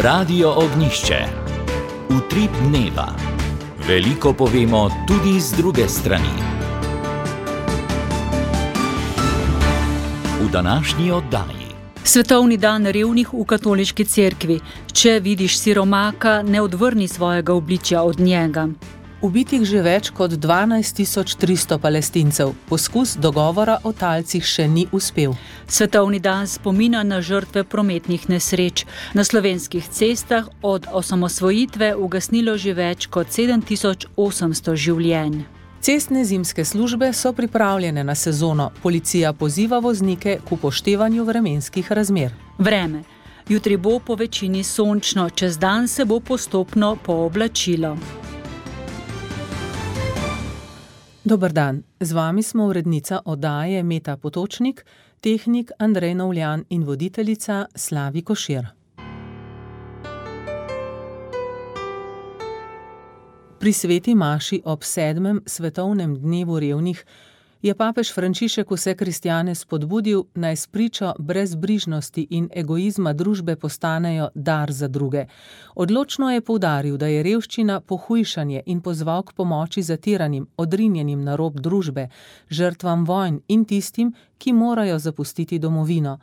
Radio Ognjišče. Utrip dneva. Veliko povemo tudi z druge strani. V današnji oddaji. Svetovni dan revnih v katoliški cerkvi. Če vidiš siromaka, ne odvrni svojega obličja od njega. Ubitih že več kot 12.300 Palestincev. Poskus dogovora o talcih še ni uspel. Svetovni dan spomina na žrtve prometnih nesreč. Na slovenskih cestah od osamosvojitve ugasnilo že več kot 7.800 življenj. Cestne zimske službe so pripravljene na sezono. Policija poziva voznike k upoštevanju vremenskih razmer. Vreme. Jutri bo po večini sončno, čez dan se bo postopno pooblačilo. Dober dan, z vami smo urednica oddaje Meta Potočnik, tehnik Andrej Novljan in voditeljica Slavi Košir. Pri sveti maši ob 7. svetovnem dnevu revnih je papež Frančišek vse kristjane spodbudil, naj s pričo brezbrižnosti in egoizma družbe postanejo dar za druge. Odločno je poudaril, da je revščina pohujšanje in pozval k pomoči zatiranim, odrinjenim na rob družbe, žrtvam vojn in tistim, ki morajo zapustiti domovino.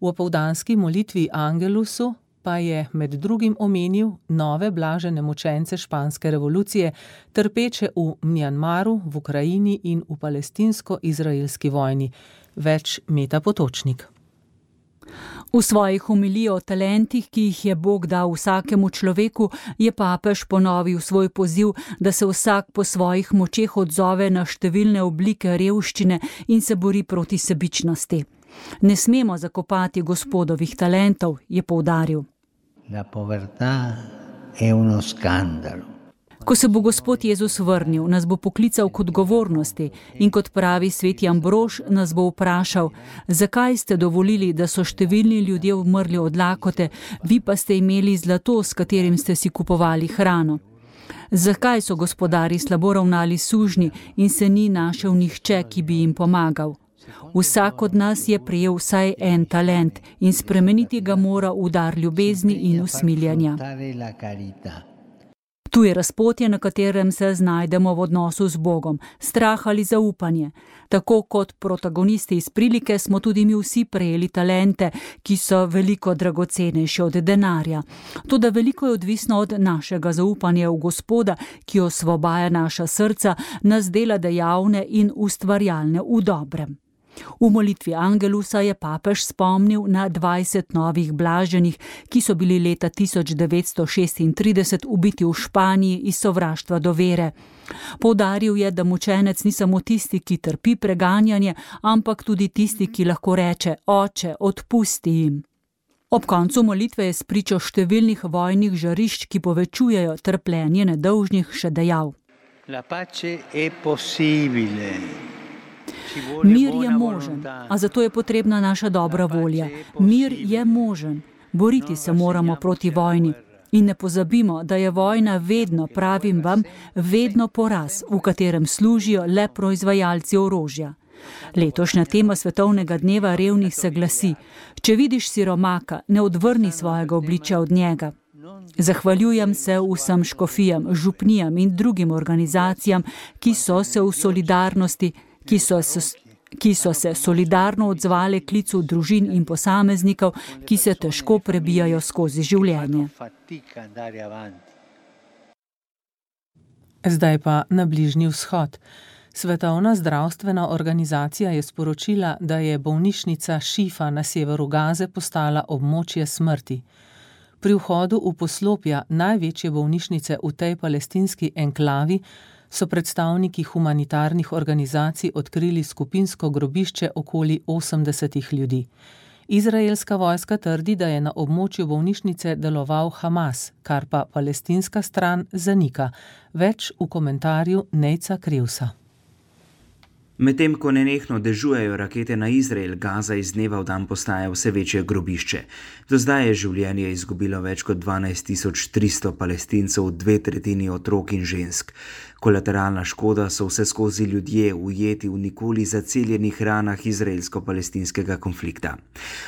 V opoldanski molitvi Angelusu pa je med drugim omenil nove blažene mučence španske revolucije, trpeče v Mjanmaru, v Ukrajini in v palestinsko-izraelski vojni. Več Meta Potočnik. V svojih homilijah o talentih, ki jih je Bog dal vsakemu človeku, je papež ponovil svoj poziv, da se vsak po svojih močeh odzove na številne oblike revščine in se bori proti sebičnosti. Ne smemo zakopati Gospodovih talentov, je poudaril. La povertà è uno scandalo. Ko se bo Gospod Jezus vrnil, nas bo poklical k odgovornosti in kot pravi sveti Ambrož, nas bo vprašal, zakaj ste dovolili, da so številni ljudje umrli od lakote, vi pa ste imeli zlato, s katerim ste si kupovali hrano. Zakaj so gospodarji slabo ravnali sužnji in se ni našel nihče, ki bi jim pomagal? Vsak od nas je prejel vsaj en talent in spremeniti ga mora v dar ljubezni in usmiljanja. Tu je razpotje, na katerem se znajdemo v odnosu z Bogom, strah ali zaupanje. Tako kot protagonisti iz prilike smo tudi mi vsi prejeli talente, ki so veliko dragocenejše od denarja. Toda veliko je odvisno od našega zaupanja v Gospoda, ki osvobaja naša srca, nas dela dejavne in ustvarjalne v dobrem. V molitvi Angelusa je papež spomnil na 20 novih blaženih, ki so bili leta 1936 ubiti v Španiji iz sovraštva do vere. Poudaril je, da mučenec ni samo tisti, ki trpi preganjanje, ampak tudi tisti, ki lahko reče: Oče, odpusti jim. Ob koncu molitve je spričo številnih vojnih žarišč, ki povečujejo trpljenje nedolžnih, še dejal: La pace è possibile. Mir je možen, a zato je potrebna naša dobra volja. Mir je možen. Boriti se moramo proti vojni. In ne pozabimo, da je vojna vedno, pravim vam, vedno poraz, v katerem služijo le proizvajalci orožja. Letošnja tema svetovnega dneva revnih se glasi: če vidiš siromaka, ne odvrni svojega obličja od njega. Zahvaljujem se vsem škofijam, župnijam in drugim organizacijam, ki so se solidarno odzvale klicu družin in posameznikov, ki se težko prebijajo skozi življenje. Zdaj pa na Bližnji vzhod. Svetovna zdravstvena organizacija je sporočila, da je bolnišnica Šifa na severu Gaze postala območje smrti. Pri vhodu v poslopja največje bolnišnice v tej palestinski enklavi so predstavniki humanitarnih organizacij odkrili skupinsko grobišče okoli 80 ljudi. Izraelska vojska trdi, da je na območju bolnišnice deloval Hamas, kar pa palestinska stran zanika. Več v komentarju Nejca Krevsa. Medtem ko nenehno dežujejo rakete na Izrael, Gaza iz dneva v dan postaja vse večje grobišče. Do zdaj je življenje izgubilo več kot 12.300 Palestincev, 2/3 otrok in žensk. Kolateralna škoda so vseskozi ljudje ujeti v nikoli zaceljenih ranah izraelsko-palestinskega konflikta.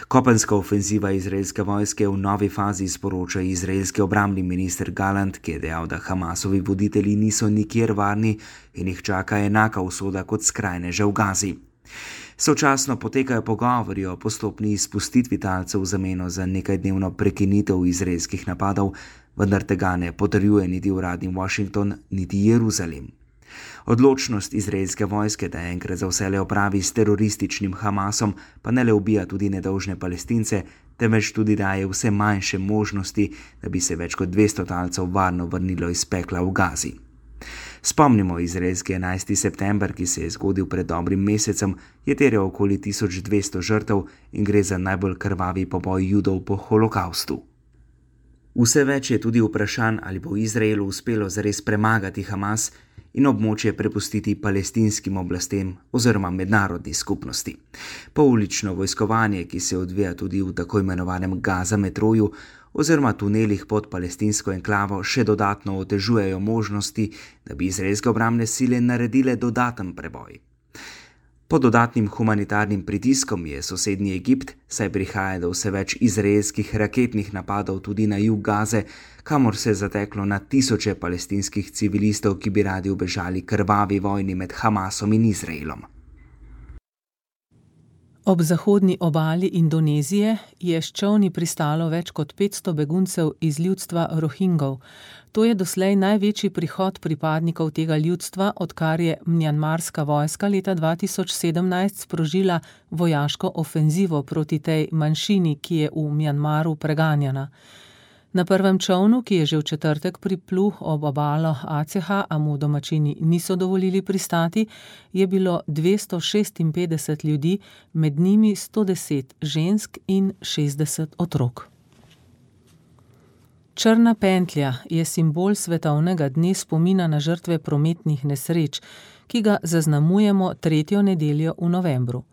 Kopenska ofenziva izraelske vojske v novi fazi, sporoča izraelski obrambni minister Gallant, ki je dejal, da Hamasovi voditelji niso nikjer varni in jih čaka enaka usoda kot skrajneže v Gazi. Sočasno potekajo pogovori o postopni izpustitvi talcev v zameno za nekajdnevno prekinitev izraelskih napadov, vendar tega ne potrjuje niti uradni Washington, niti Jeruzalem. Odločnost izraelske vojske, da enkrat za vselej opravi s terorističnim Hamasom, pa ne le ubija tudi nedolžne Palestince, temveč tudi daje vse manjše možnosti, da bi se več kot 200 talcev varno vrnilo iz pekla v Gazi. Spomnimo, izraelski 11. september, ki se je zgodil pred dobrim mesecem, je terjal okoli 1200 žrtev in gre za najbolj krvavi poboj Judov po holokaustu. Vse več je tudi vprašanj, ali bo Izraelu uspelo zares premagati Hamas in območje prepustiti palestinskim oblastem oziroma mednarodni skupnosti. Poulično vojskovanje, ki se odvija tudi v tako imenovanem Gaza metroju oziroma tunelih pod palestinsko enklavo, še dodatno otežujejo možnosti, da bi izraelske obrambne sile naredile dodaten preboj. Pod dodatnim humanitarnim pritiskom je sosednji Egipt, saj prihaja do vse več izraelskih raketnih napadov tudi na jug Gaze, kamor se je zateklo na tisoče palestinskih civilistov, ki bi radi ubežali krvavi vojni med Hamasom in Izraelom. Ob zahodni obali Indonezije je s čolni pristalo več kot 500 beguncev iz ljudstva Rohingov. To je doslej največji prihod pripadnikov tega ljudstva, odkar je mjanmarska vojska leta 2017 sprožila vojaško ofenzivo proti tej manjšini, ki je v Mjanmaru preganjana. Na prvem čolnu, ki je že v četrtek priplul ob obalo Aceha, a mu domačini niso dovolili pristati, je bilo 256 ljudi, med njimi 110 žensk in 60 otrok. Črna pentlja je simbol svetovnega dne spomina na žrtve prometnih nesreč, ki ga zaznamujemo 3. nedeljo v novembru.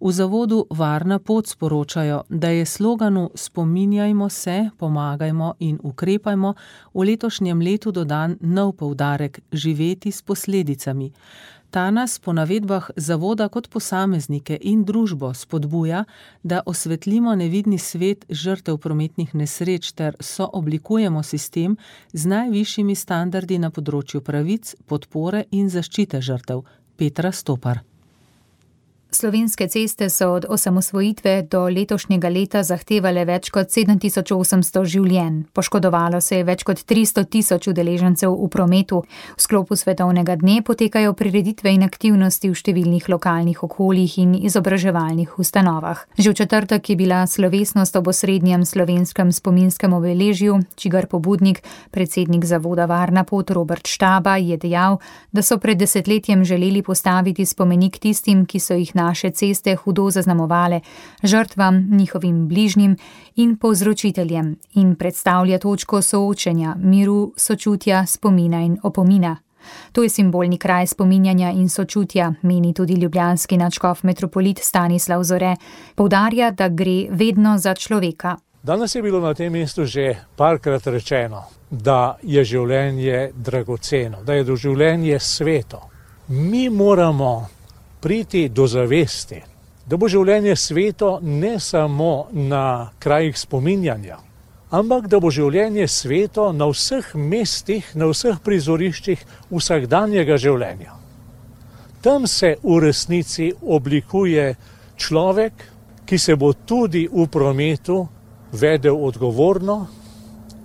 V zavodu Varna pot sporočajo, da je sloganu Spominjajmo se, pomagajmo in ukrepajmo v letošnjem letu dodan nov poudarek živeti s posledicami. Ta nas po navedbah zavoda kot posameznike in družbo spodbuja, da osvetlimo nevidni svet žrtev prometnih nesreč ter sooblikujemo sistem z najvišjimi standardi na področju pravic, podpore in zaščite žrtev. Petra Stopar. Slovenske ceste so od osamosvojitve do letošnjega leta zahtevale več kot 7800 življenj. Poškodovalo se je več kot 300 000 udeležencev v prometu. V sklopu svetovnega dne potekajo prireditve in aktivnosti v številnih lokalnih okoljih in izobraževalnih ustanovah. Že v četrtek je bila slovesnost ob osrednjem slovenskem spominskem obeležju, čigar pobudnik, predsednik zavoda Varna pot Robert Štaba, je dejal, da so pred desetletjem želeli postaviti spomenik tistim, ki so jih naše ceste hudo zaznamovale, žrtvam, njihovim bližnjim in povzročiteljem, in predstavlja točko soočenja, miru, sočutja, spomina in opomina. To je simbolni kraj spominjanja in sočutja, meni tudi ljubljanski nadškof metropolit Stanislav Zore. Poudarja, da gre vedno za človeka. Danes je bilo na tem mestu že parkrat rečeno, da je življenje dragoceno, da je življenje sveto. Mi moramo priti do zavesti, da bo življenje sveto ne samo na krajih spominjanja, ampak da bo življenje sveto na vseh mestih, na vseh prizoriščih vsakdanjega življenja. Tam se v resnici oblikuje človek, ki se bo tudi v prometu vedel odgovorno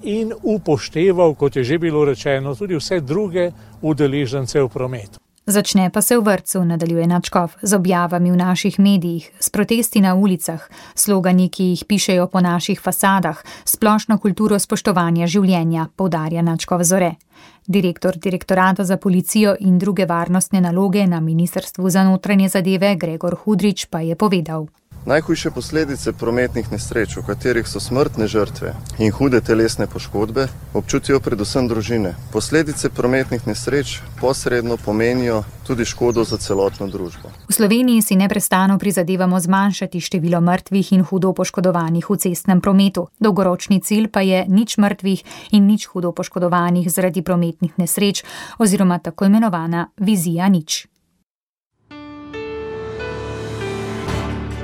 in upošteval, kot je že bilo rečeno, tudi vse druge udeležence v prometu. Začne pa se v vrtcu, nadaljuje nadškof, z objavami v naših medijih, s protesti na ulicah, slogani, ki jih pišejo po naših fasadah, splošno kulturo spoštovanja življenja, poudarja nadškof Zore. Direktor Direktorata za policijo in druge varnostne naloge na Ministrstvu za notranje zadeve Gregor Hudrič pa je povedal. Najhujše posledice prometnih nesreč, v katerih so smrtne žrtve in hude telesne poškodbe, občutijo predvsem družine. Posledice prometnih nesreč posredno pomenijo tudi škodo za celotno družbo. V Sloveniji si neprestano prizadevamo zmanjšati število mrtvih in hudo poškodovanih v cestnem prometu. Dolgoročni cilj pa je nič mrtvih in nič hudo poškodovanih zaradi prometnih nesreč oziroma tako imenovana vizija nič.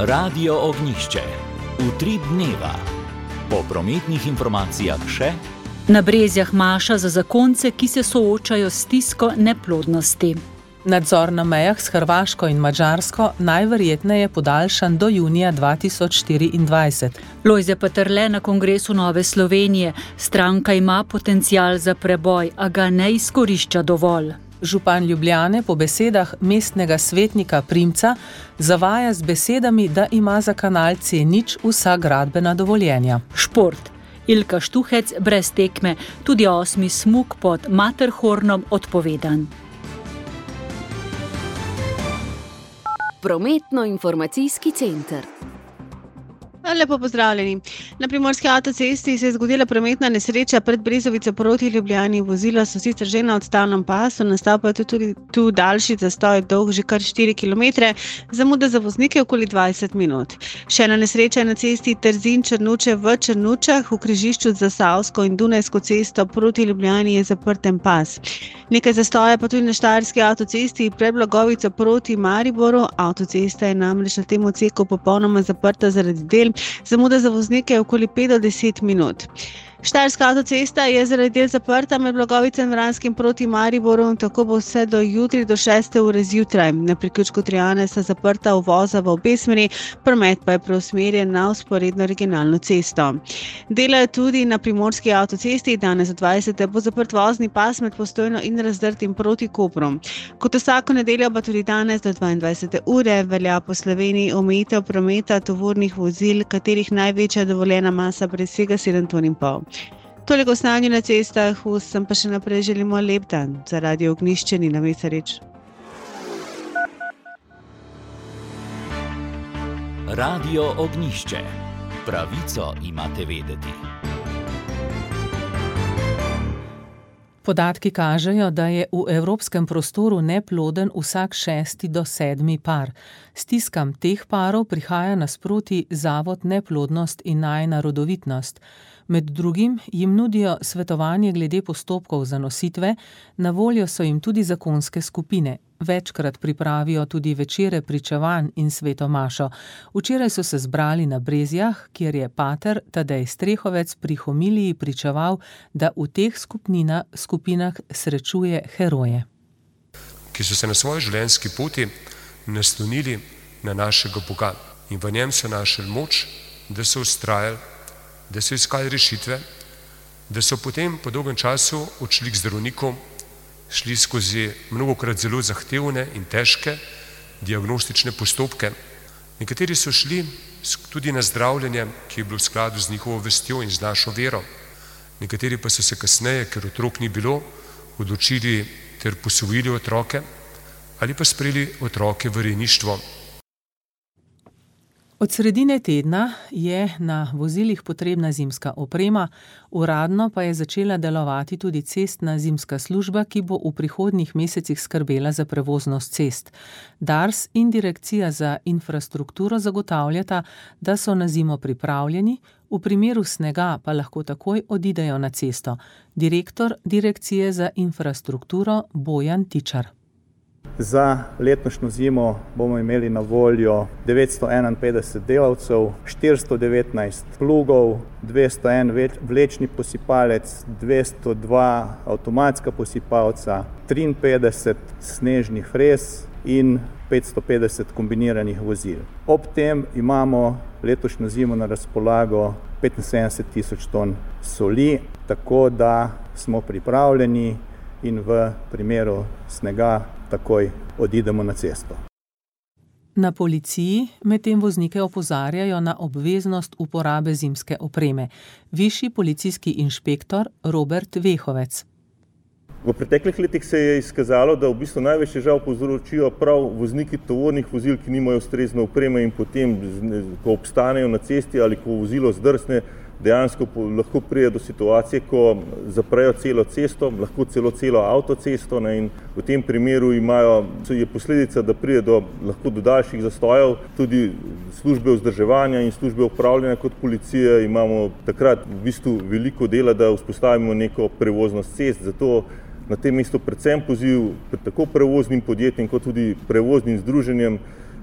Radio Ognjišče. Utrip dneva. Po prometnih informacijah še na Brezjah maša za zakonce, ki se soočajo s stisko neplodnosti. Nadzor na mejah s Hrvaško in Madžarsko najverjetneje podaljšan do junija 2024. Lojze Peterle na kongresu Nove Slovenije. Stranka ima potencial za preboj, a ga ne izkorišča dovolj. Župan Ljubljane po besedah mestnega svetnika Primca zavaja z besedami, da ima za kanal C0 vsa gradbena dovoljenja. Šport. Ilka Štuhec brez tekme, tudi 8. smuk pod Matterhornom odpovedan. Prometno-informacijski center. Lepo pozdravljeni. Na Primorski avtocesti se je zgodila prometna nesreča pred Brezovico proti Ljubljani. Vozila so sicer že na odstavnem pasu, nastal pa je tudi tu daljši zastoj, dolg že kar 4 km, zamuda za voznike okoli 20 minut. Še ena nesreča je na cesti Trzin-Črnuče v Črnučah, v križišču za Savsko in Dunajsko cesto proti Ljubljani je zaprten pas. Nekaj zastoja pa tudi na Štajerski avtocesti pred Blagovico proti Mariboru. Avtocesta je namreč na tem odseku popolnoma zaprta zaradi del. Zamuda za voznike je okoli 5 do 10 minut. Štajerska avtocesta je zaradi del zaprta med Blagovico in Vranskim proti Mariboru, tako bo vse do jutri do 6. ure zjutraj. Na priključku Trijane sta zaprta uvoza v obe smeri, promet pa je preusmerjen na vzporedno regionalno cesto. Delajo tudi na Primorski avtocesti, danes od 20. bo zaprt vozni pas med Postojno in Razdrtim proti Kopru. Kot vsako nedeljo pa tudi danes do 22. ure velja po Sloveniji omejitev prometa tovornih vozil, katerih največja dovoljena masa presega 7,5 ton. Toliko o stanju na cestah, vsem pa še naprej želimo lep dan. Za Radio Ognjišče Nina Mesarič. Radio Ognjišče. Pravico imate vedeti. Podatki kažejo, da je v evropskem prostoru neploden vsak 6. do 7. par. Stiskam teh parov prihaja nasproti Zavod Neplodnost in najina rodovitnost. Med drugim jim nudijo svetovanje glede postopkov za nositve, na voljo so jim tudi zakonske skupine. Večkrat pripravijo tudi večere pričevanj in svetomašo. Včeraj so se zbrali na Brezjah, kjer je pater Tadej Strehovec pri homiliji pričeval, da v teh skupinah srečuje heroje. Ki so se na svoji življenjski poti naslonili na našega Boga in v njem so našli moč, da so vztrajali, da so iskali rešitve, da so potem po dolgem času odšli k zdravniku, šli skozi mnogokrat zelo zahtevne in težke diagnostične postopke. Nekateri so šli tudi na zdravljenje, ki je bilo v skladu z njihovo vestjo in z našo vero. Nekateri pa so se kasneje, ker otrok ni bilo, odločili ter posvojili otroke ali pa sprejeli otroke v rejništvo. Od sredine tedna je na vozilih potrebna zimska oprema, uradno pa je začela delovati tudi cestna zimska služba, ki bo v prihodnjih mesecih skrbela za prevoznost cest. Dars in Direkcija za infrastrukturo zagotavljata, da so na zimo pripravljeni, v primeru snega pa lahko takoj odidejo na cesto. Direktor Direkcije za infrastrukturo Bojan Tičar. Za letošnjo zimo bomo imeli na voljo 951 delavcev, 419 plugov, 201 vlečni posipalec, 202 avtomatska posipalca, 53 snežnih frez in 550 kombiniranih vozil. Ob tem imamo letošnjo zimo na razpolago 75.000 ton soli, tako da smo pripravljeni in v primeru snega takoj odidemo na cesto. Na policiji medtem voznike opozarjajo na obveznost uporabe zimske opreme. Višji policijski inšpektor Robert Vehovec. V preteklih letih se je izkazalo, da v bistvu največ težav povzročijo prav vozniki tovornih vozil, ki nimajo ustrezne opreme in potem, ko obstanejo na cesti ali ko vozilo zdrsne, dejansko lahko pride do situacije, ko zaprejo celo cesto, lahko celo avtocesto, in v tem primeru je posledica, da pride lahko do daljših zastojev, tudi službe vzdrževanja in službe upravljanja kot policije imamo takrat v bistvu veliko dela, da vzpostavimo neko prevoznost cest, zato na tem mestu predvsem poziv tako prevoznim podjetjem kot tudi prevoznim združenjem,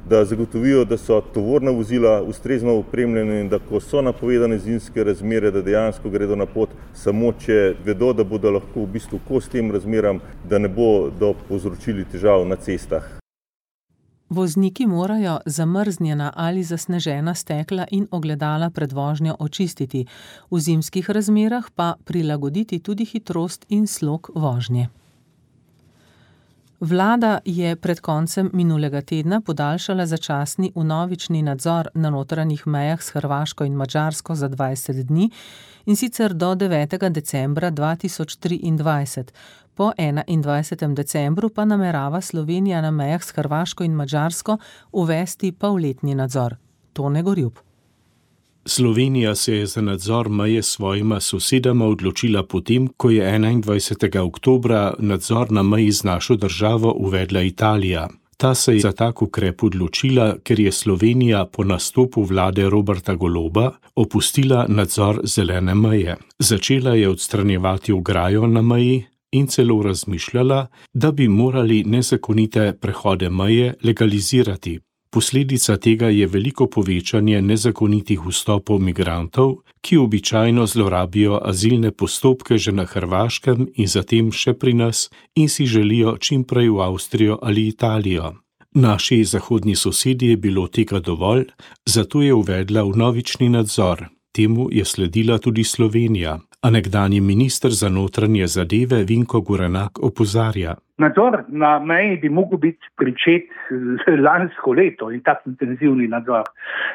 da zagotovijo, da so tovorna vozila ustrezno opremljena in da ko so napovedane zimske razmere, da dejansko gredo na pot samo, če vedo, da bodo lahko v bistvu kos tem razmeram, da ne bodo povzročili težav na cestah. Vozniki morajo zamrznjena ali zasnežena stekla in ogledala pred vožnjo očistiti, v zimskih razmerah pa prilagoditi tudi hitrost in slog vožnje. Vlada je pred koncem minulega tedna podaljšala začasni vnovični nadzor na notranjih mejah s Hrvaško in Madžarsko za 20 dni, in sicer do 9. decembra 2023. Po 21. decembru pa namerava Slovenija na mejah s Hrvaško in Madžarsko uvesti polletni nadzor. Tone Gorjup. Slovenija se je za nadzor meje s svojima sosedama odločila potem, ko je 21. oktobra nadzor na meji z našo državo uvedla Italija. Ta se je za tak ukrep odločila, ker je Slovenija po nastopu vlade Roberta Goloba opustila nadzor zelene meje. Začela je odstranjevati ograjo na meji in celo razmišljala, da bi morali nezakonite prehode meje legalizirati. Posledica tega je veliko povečanje nezakonitih vstopov migrantov, ki običajno zlorabijo azilne postopke že na Hrvaškem in zatem še pri nas in si želijo čim prej v Avstrijo ali Italijo. Naši zahodni sosedi je bilo tega dovolj, zato je uvedla vnovični nadzor. Temu je sledila tudi Slovenija, a nekdanji minister za notranje zadeve Vinko Gorenak opozarja. Nadzor na meji bi mogel biti pričet lansko leto in tak intenzivni nadzor,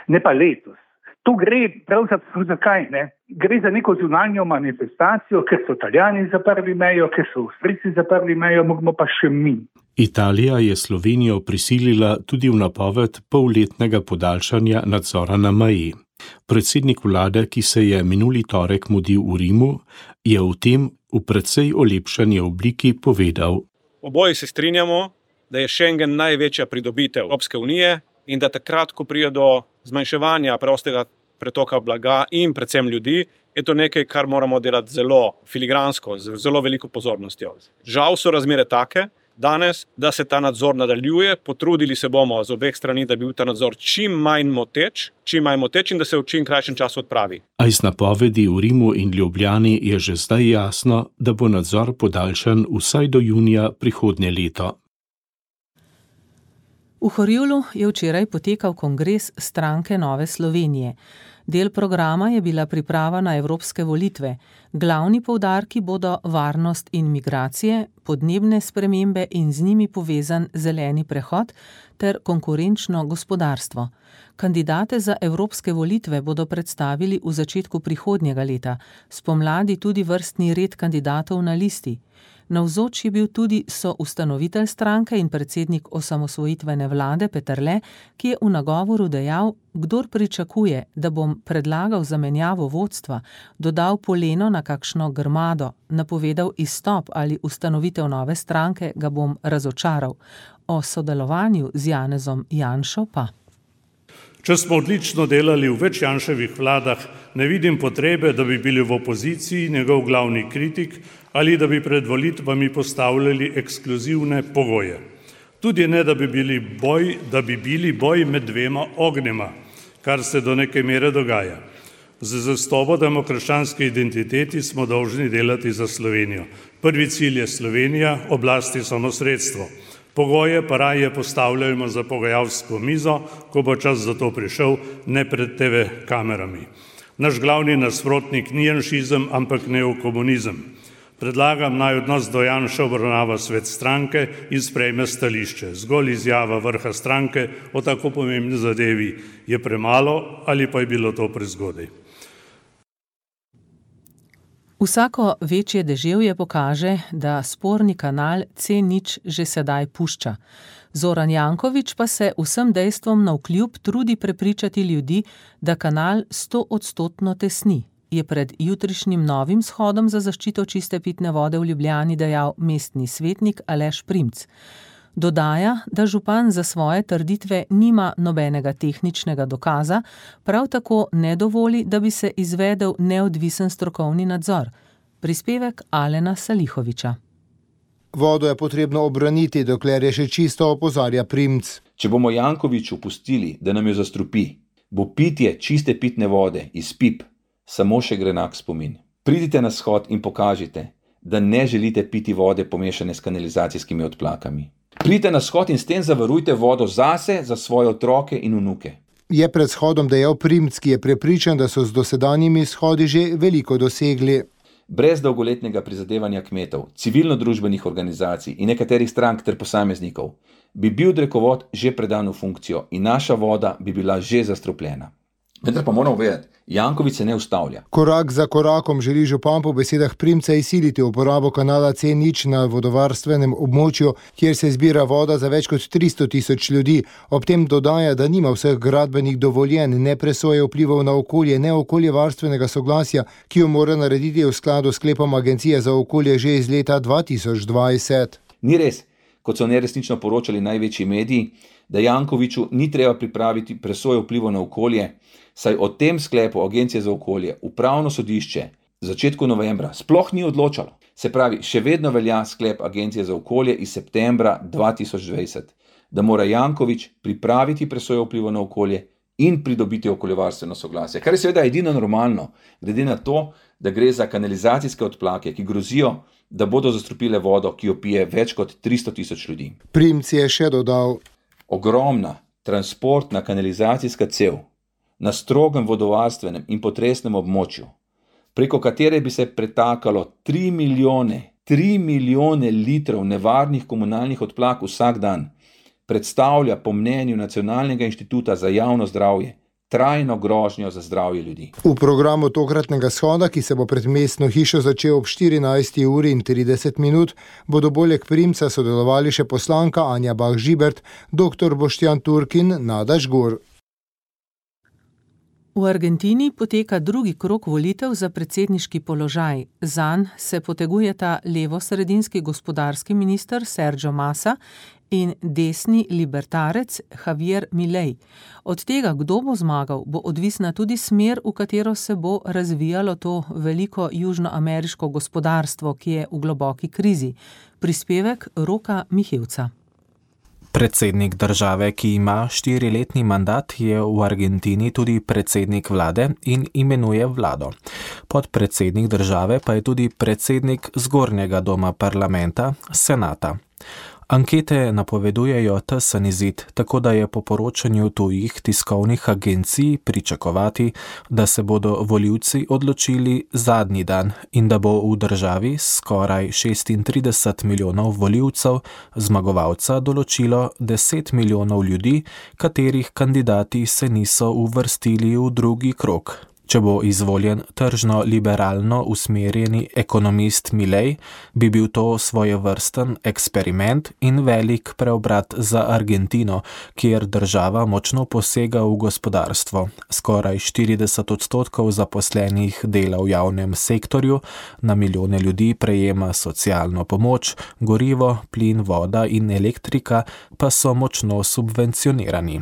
ne pa letos. To gre pravzaprav zakaj, ne? Gre za neko zunanjo manifestacijo, ker so Italijani zaprli mejo, ker so Avstrijci zaprli mejo, moramo pa še mi. Italija je Slovenijo prisilila tudi v napoved polletnega podaljšanja nadzora na meji. Predsednik vlade, ki se je minuli torek mudil v Rimu, je o tem v precej olepšani obliki povedal. Oboji se strinjamo, da je Schengen največja pridobitev Evropske unije in da takrat, ko pride do zmanjševanja prostega pretoka blaga in predvsem ljudi, je to nekaj, kar moramo delati zelo filigransko, z zelo veliko pozornostjo. Žal so razmere take danes, da se ta nadzor nadaljuje, potrudili se bomo z obeh strani, da bi bil ta nadzor čim manj moteč in da se v čim krajšem času odpravi. A iz napovedi v Rimu in Ljubljani je že zdaj jasno, da bo nadzor podaljšan vsaj do junija prihodnje leto. V Horjulu je včeraj potekal kongres stranke Nove Slovenije. Del programa je bila priprava na evropske volitve. Glavni poudarki bodo varnost in migracije, podnebne spremembe in z njimi povezan zeleni prehod ter konkurenčno gospodarstvo. Kandidate za evropske volitve bodo predstavili v začetku prihodnjega leta, spomladi tudi vrstni red kandidatov na listi. Navzoč je bil tudi soustanovitelj stranke in predsednik osamosvojitvene vlade Peterle, ki je v nagovoru dejal, kdor pričakuje, da bom predlagal zamenjavo vodstva, dodal poleno na kakšno grmado, napovedal izstop ali ustanovitev nove stranke, ga bom razočaral. O sodelovanju z Janezom Janšo pa. Če smo odlično delali v več Janševih vladah, ne vidim potrebe, da bi bili v opoziciji njegov glavni kritik ali da bi pred volitvami postavljali ekskluzivne pogoje. Tudi ne, da bi bili boj med dvema ognjema, kar se do neke mere dogaja. Z zastopo demokratske identiteti smo dolžni delati za Slovenijo. Prvi cilj je Slovenija, oblast je samo sredstvo. Pogoje pa raje postavljajmo za pogajalsko mizo, ko bo čas za to prišel, ne pred TV kamerami. Naš glavni nasprotnik ni janšizem, ampak neokomunizem. Predlagam naj odnos do Janše obravnava svet stranke in sprejme stališče. Zgolj izjava vrha stranke o tako pomembni zadevi je premalo ali pa je bilo to prezgodaj. Vsako večje deževje pokaže, da sporni kanal C0 že sedaj pušča. Zoran Janković pa se vsem dejstvom navkljub trudi prepričati ljudi, da kanal 100% tesni, je pred jutrišnjim novim shodom za zaščito čiste pitne vode v Ljubljani dejal mestni svetnik Aleš Primc. Dodaja, da župan za svoje trditve nima nobenega tehničnega dokaza, prav tako ne dovoli, da bi se izvedel neodvisen strokovni nadzor. Prispevek Alena Salihoviča. Vodo je potrebno obraniti, dokler je še čisto, opozarja Primc. Če bomo Jankoviću pustili, da nam jo zastrupi, bo pitje čiste pitne vode iz pip samo še grenak spomin. Pridite na shod in pokažite, da ne želite piti vode pomešane s kanalizacijskimi odplakami. Pridite na shod in s tem zavarujte vodo zase, za svoje otroke in vnuke. Je pred shodom dejal Primc, ki je prepričan, da so z dosedanjimi shodi že veliko dosegli. Brez dolgoletnega prizadevanja kmetov, civilno-družbenih organizacij in nekaterih strank ter posameznikov bi bil drekovod že predan v funkcijo in naša voda bi bila že zastrupljena. Vendar pa moramo vedeti, Janković se ne ustavlja. Korak za korakom želi župan po besedah Primca izsiliti uporabo kanala C0 na vodovarstvenem območju, kjer se zbira voda za več kot 300 tisoč ljudi. Ob tem dodaja, da nima vseh gradbenih dovoljenj, ne presoje vplivov na okolje, ne okoljevarstvenega soglasja, ki jo mora narediti v skladu s sklepom Agencije za okolje že iz leta 2020. Ni res, kot so neresnično poročali največji mediji, da Jankoviću ni treba pripraviti presoje vplivov na okolje, saj o tem sklepu Agencije za okolje upravno sodišče v začetku novembra sploh ni odločalo. Se pravi, še vedno velja sklep Agencije za okolje iz septembra 2020, da mora Janković pripraviti presoje vplivov na okolje in pridobiti okoljevarstveno soglasje, kar je seveda edino normalno, glede na to, da gre za kanalizacijske odplake, ki grozijo, da bodo zastrupile vodo, ki jo pije več kot 300 tisoč ljudi. Primc je še dodal: ogromna transportna kanalizacijska cev na strogem vodovarstvenem in potresnem območju, preko katere bi se pretakalo 3 milijone litrov nevarnih komunalnih odplak vsak dan, predstavlja po mnenju Nacionalnega inštituta za javno zdravje trajno grožnjo za zdravje ljudi. V programu tokratnega shoda, ki se bo pred mestno hišo začel ob 14:30, bodo poleg Primca sodelovali še poslanka Anja Bah Žibert, dr. Boštjan Turkin, Nada Žgur. V Argentini poteka drugi krog volitev za predsedniški položaj. Zanj se potegujeta levo-sredinski gospodarski minister Sergio Massa in desni libertarec Javier Milei. Od tega, kdo bo zmagal, bo odvisna tudi smer, v katero se bo razvijalo to veliko južnoameriško gospodarstvo, ki je v globoki krizi. Prispevek Roka Mihevca. Predsednik države, ki ima 4-letni mandat, je v Argentini tudi predsednik vlade in imenuje vlado. Podpredsednik države pa je tudi predsednik zgornjega doma parlamenta, senata. Ankete napovedujejo tesen izid, tako da je po poročanju tujih tiskovnih agencij pričakovati, da se bodo volivci odločili zadnji dan in da bo v državi skoraj 36 milijonov volivcev zmagovalca določilo 10 milijonov ljudi, katerih kandidati se niso uvrstili v drugi krog. Če bo izvoljen tržno-liberalno usmerjeni ekonomist Milei, bi bil to svojevrsten eksperiment in velik preobrat za Argentino, kjer država močno posega v gospodarstvo. Skoraj 40% zaposlenih dela v javnem sektorju, na milijone ljudi prejema socialno pomoč, gorivo, plin, voda in elektrika pa so močno subvencionirani.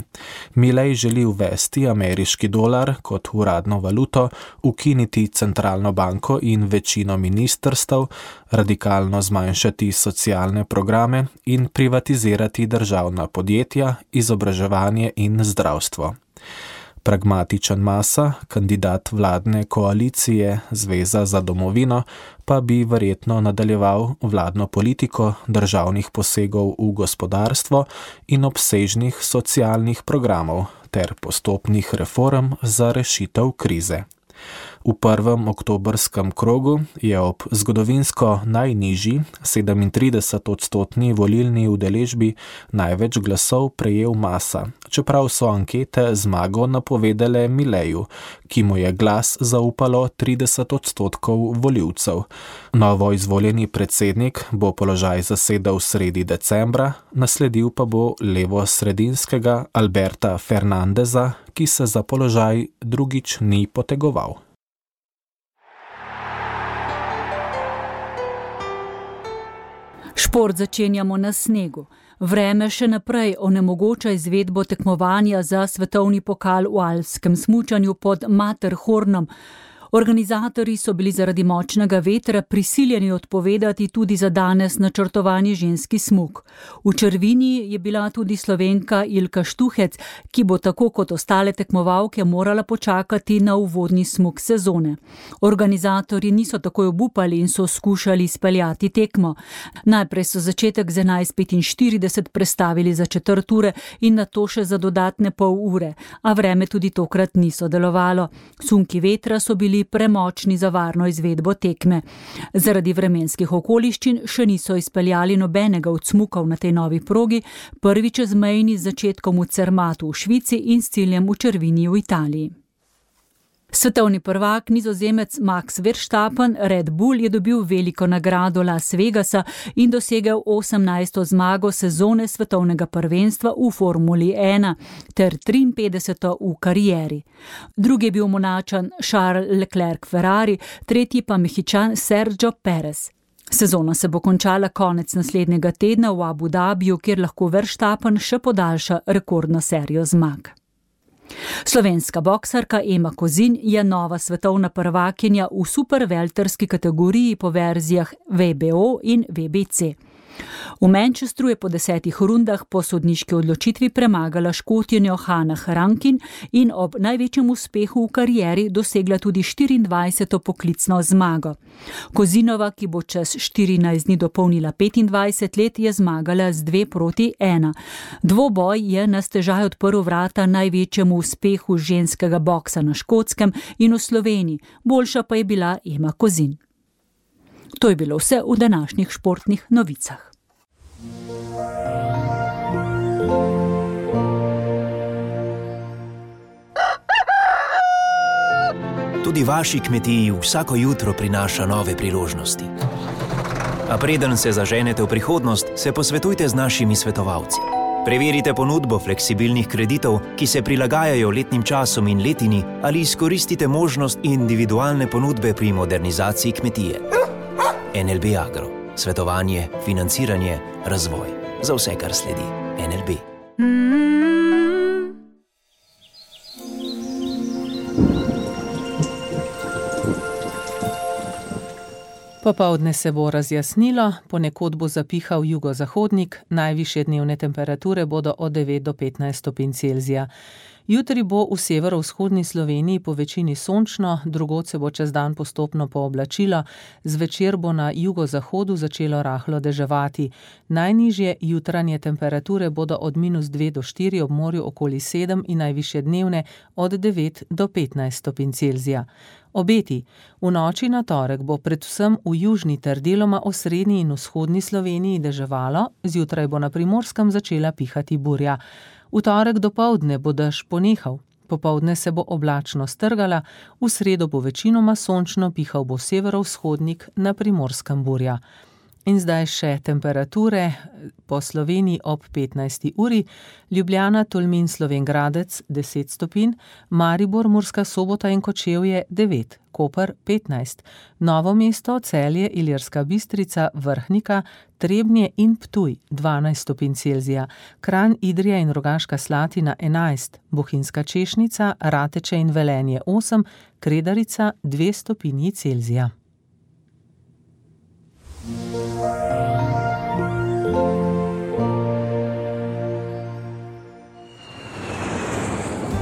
Milei želi uvesti ameriški dolar kot uradno valuto, ukiniti centralno banko in večino ministrstev, radikalno zmanjšati socialne programe in privatizirati državna podjetja, izobraževanje in zdravstvo. Pragmatičen Massa, kandidat vladne koalicije Zveza za domovino, pa bi verjetno nadaljeval vladno politiko državnih posegov v gospodarstvo in obsežnih socialnih programov ter postopnih reform za rešitev krize. V prvem oktobrskem krogu je ob zgodovinsko najnižji 37% volilni udeležbi največ glasov prejel Massa, čeprav so ankete zmago napovedale Mileju, ki mu je glas zaupalo 30% volivcev. Novo izvoljeni predsednik bo položaj zasedel sredi decembra, nasledil pa bo levo-sredinskega Alberta Fernandeza, ki se za položaj drugič ni potegoval. Šport začenjamo na snegu. Vreme še naprej onemogoča izvedbo tekmovanja za svetovni pokal v alpskem smučanju pod Matterhornom. Organizatorji so bili zaradi močnega vetra prisiljeni odpovedati tudi za danes načrtovani ženski smuk. V črvini je bila tudi Slovenka Ilka Štuhec, ki bo tako kot ostale tekmovalke morala počakati na uvodni smuk sezone. Organizatorji niso takoj obupali in so skušali izpeljati tekmo. Najprej so začetek z 11:45 prestavili za 1/4 ure in nato še za dodatne pol ure, a vreme tudi tokrat ni sodelovalo. Sunki vetra so bili premočni za varno izvedbo tekme. Zaradi vremenskih okoliščin še niso izpeljali nobenega od smukov na tej novi progi, prvi čezmejni z začetkom v Cermatu v Švici in s ciljem v črvini v Italiji. Svetovni prvak Nizozemec Max Verstappen Red Bull je dobil veliko nagrado Las Vegasa in dosegel 18. zmago sezone svetovnega prvenstva v Formuli 1 ter 53. v karieri. Drugi je bil Monačan Charles Leclerc Ferrari, tretji pa Mehičan Sergio Perez. Sezona se bo končala konec naslednjega tedna v Abu Dhabiju, kjer lahko Verstappen še podaljša rekordno serijo zmag. Slovenska boksarka Ema Kozin je nova svetovna prvakinja v supervelterski kategoriji po verzijah WBO in WBC. V Manchesteru je po 10 rundah po sodniški odločitvi premagala Škotkinjo Hannah Rankin in ob največjem uspehu v karieri dosegla tudi 24. poklicno zmago. Kozinova, ki bo čez 14 dni dopolnila 25 let, je zmagala z 2-1. Dvoboj je na stežaj odprl vrata največjemu uspehu ženskega boksa na Škotskem in v Sloveniji, boljša pa je bila Ema Kozin. To je bilo vse v današnjih športnih novicah. Tudi vaši kmetiji vsako jutro prinaša nove priložnosti. A preden se zaženete v prihodnost, se posvetujte z našimi svetovalci. Preverite ponudbo fleksibilnih kreditov, ki se prilagajajo letnim časom in letini, ali izkoristite možnost individualne ponudbe pri modernizaciji kmetije. NLB Agro. Svetovanje, financiranje, razvoj. Za vse, kar sledi. NLB. Popoldne se bo razjasnilo, ponekod bo zapihal jugozahodnik, najvišje dnevne temperature bodo od 9 do 15 stopinj Celzija. Jutri bo v severovzhodni Sloveniji po večini sončno, drugod se bo čez dan postopno pooblačilo, zvečer bo na jugozahodu začelo rahlo deževati. Najnižje jutranje temperature bodo od -2 do 4, ob morju okoli 7 in najvišje dnevne od 9 do 15 stopinj Celzija. Obeti. V noči na torek bo predvsem v južni ter deloma osrednji in vzhodni Sloveniji deževalo, zjutraj bo na Primorskem začela pihati burja. V torek dopoldne bo dež ponehal, popoldne se bo oblačno strgala, v sredo bo večinoma sončno, pihal bo severovzhodnik, na Primorskem burja. In zdaj še temperature po Sloveniji ob 15. uri, Ljubljana, Tolmin, Slovenj Gradec 10 stopinj, Maribor, Murska Sobota in Kočevje 9, Koper 15, Novo mesto, Celje, Ilirska Bistrica, Vrhnika, Trebnje in Ptuj 12 stopinj Celzija, Kranj, Idrija in Rogaška Slatina 11, Bohinjska Češnica, Rateče in Velenje 8, Kredarica 2 stopinji Celzija.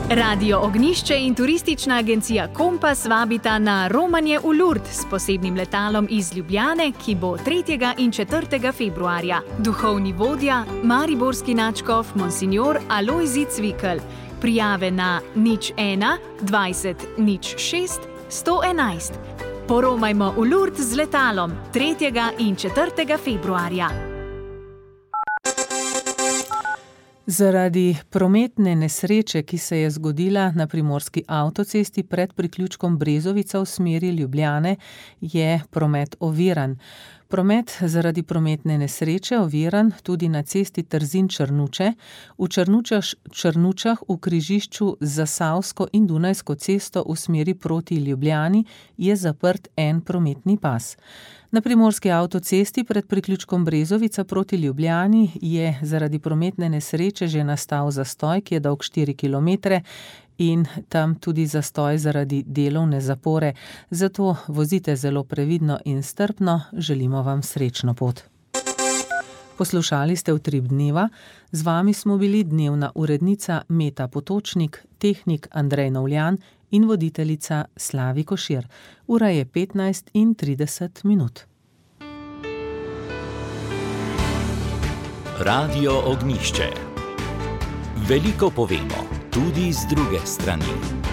Radio Ognjišče in turistična agencija Kompas vabita na romanje v Lourdes s posebnim letalom iz Ljubljane, ki bo 3. in 4. februarja. Duhovni vodja, mariborski nadškof Monsignor Alojzij Cvikl. Prijave na 01 20 06 111. Poromajmo v Lourdes z letalom 3. in 4. februarja. Zaradi prometne nesreče, ki se je zgodila na primorski avtocesti pred priključkom Brezovica v smeri Ljubljane, je promet oviran. Promet zaradi prometne nesreče oviran tudi na cesti Trzin-Črnuče, v Črnučah v križišču z Zasavsko in Dunajsko cesto v smeri proti Ljubljani je zaprt en prometni pas. Na primorski avtocesti pred priključkom Brezovica proti Ljubljani je zaradi prometne nesreče že nastal zastoj, ki je dolg 4 km in tam tudi zastoj zaradi delovne zapore. Zato vozite zelo previdno in strpno, želimo vam srečno pot. Poslušali ste Utrip dneva, z vami smo bili dnevna urednica Meta Potočnik, tehnik Andrej Novljan in voditeljica Slavi Košir. Ura je 15:30. Radio Ognjišče. Veliko povemo, tudi z druge strani.